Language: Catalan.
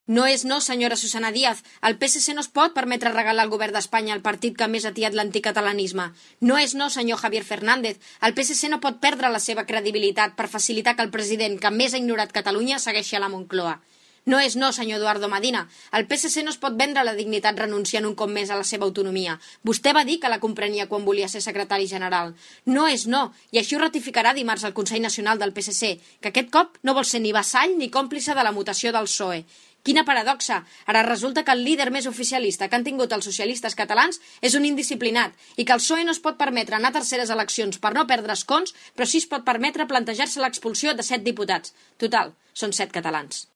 No és no, senyora Susana Díaz. El PSC no es pot permetre regalar al govern d'Espanya el partit que més ha atiat l'anticatalanisme. No és no, senyor Javier Fernández. El PSC no pot perdre la seva credibilitat per facilitar que el president que més ha ignorat Catalunya segueixi a la Moncloa. No és no, senyor Eduardo Madina. El PSC no es pot vendre la dignitat renunciant un cop més a la seva autonomia. Vostè va dir que la comprenia quan volia ser secretari general. No és no, i així ho ratificarà dimarts el Consell Nacional del PSC, que aquest cop no vol ser ni vassall ni còmplice de la mutació del PSOE. Quina paradoxa! Ara resulta que el líder més oficialista que han tingut els socialistes catalans és un indisciplinat i que el PSOE no es pot permetre anar a terceres eleccions per no perdre escons, però sí es pot permetre plantejar-se l'expulsió de 7 diputats. Total, són 7 catalans.